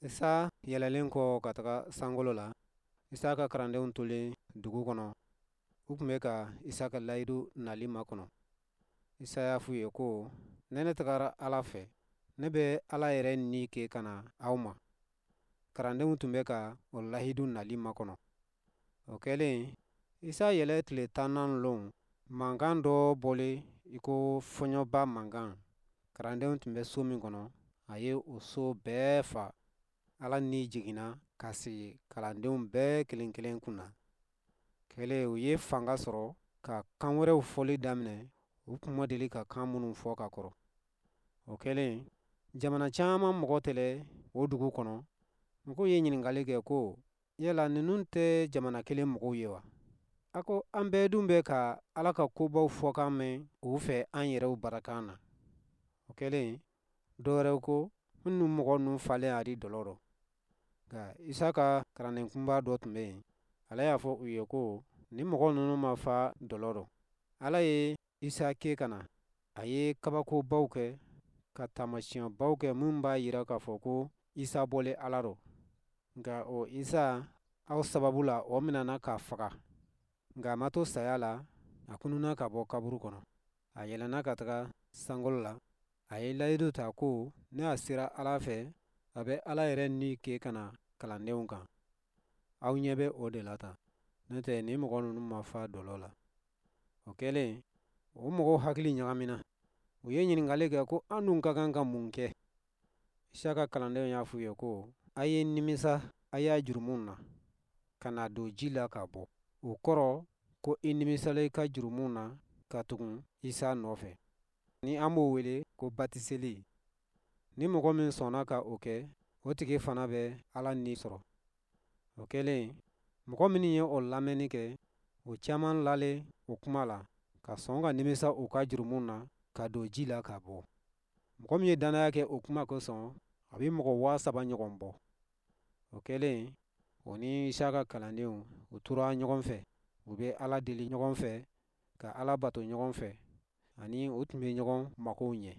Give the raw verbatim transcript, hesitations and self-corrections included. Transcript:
Isa yɛlɛlen kɔ ka taga sankolo la, Isa ka kalandenw tolen dugu kɔnɔ, u tun bɛ ka Isa ka layidu nali makɔnɔ. Isa y'a f'u ye ko, ne ne tagara Ala fɛ, ne bɛ Ala yɛrɛ ni kɛ ka na aw ma. Kalandenw tun bɛ ka o layidu nali makɔnɔ. O kɛlen, Isa yɛlɛ tile tannan lon, mankan dɔ bɔlen i ko fɔɲɔba mankan. Kalandenw tun bɛ so min kɔnɔ, a ye o so bɛɛ fa. Ala ni jiginna ka sigi kalandenw bɛɛ kelen kelen kunna. Kɛlen, u ye fanga sɔrɔ ka kan wɛrɛw fɔli daminɛ, u tun ma deli ka kan minnu fɔ ka kɔrɔ. O kɛlen, jamana caman mɔgɔ tɛlɛ o dugu kɔnɔ. Mɔgɔw ye ɲininkali kɛ ko, yala ninnu tɛ jamana kelen mɔgɔw ye wa? A ko an bɛɛ dun bɛ ka Ala ka kobaw fɔkan mɛn u fɛ an yɛrɛw barakan na. O kɛlen, dɔ wɛrɛw ko, minnu mɔgɔ ninnu falen a di dɔlɔ rɔ. Nka Isa ka kalanden kunba dɔ tun bɛ yen, ale y'a fɔ u ye ko, ni mɔgɔ ninnu ma fa dɔlɔ rɔ. Ala ye Isa kɛ ka na, a ye kabakobaw kɛ, ka taamasiyɛnbaw kɛ minnu b'a jira k'a fɔ ko Isa bɔlen Ala rɔ. Nka o Isa, aw sababu la, o minɛna k'a faga. Nka a ma to saya la, a kununna ka bɔ kaburu kɔnɔ. A yɛlɛnna ka taga sankolo la. A ye layidu ta ko ne a sera Ala fɛ, a bɛ Ala yɛrɛ ni kɛ ka na kalandenw kan. Aw ɲɛ bɛ o de la tan. N'o tɛ nin mɔgɔ ninnu ma fa dɔlɔ la. O kɛlen, o mɔgɔw hakili ɲagamina. U ye ɲininkali kɛ ko an dun ka kan ka mun kɛ? Isa ka kalandenw y'a f'u ye ko, a ye nimisa a y'a jurumu na, ka na don ji la ka bɔ. O kɔrɔ ko i nimisala i ka jurumu na ka tugun Isa nɔfɛ. Ni an b'o wele ko batiseli. Ni mɔgɔ min sɔnna ka o kɛ, o tigi fana bɛ Ala ni sɔrɔ. O kɛlen, mɔgɔ minnu ye o lamɛnni kɛ, o caman lalen o kuma la, ka sɔn ka nimisa u ka jurumu na, ka don ji la ka bɔ. Mɔgɔ min ye dannaya kɛ o kuma kosɔn, a bɛ mɔgɔ waa saba ɲɔgɔn bɔ. O kɛlen, o ni Isa ka kalandenw, u tora ɲɔgɔn fɛ, u bɛ Ala deli ɲɔgɔn fɛ, ka Ala bato ɲɔgɔn fɛ, ani u tun bɛ ɲɔgɔn makow ɲɛ.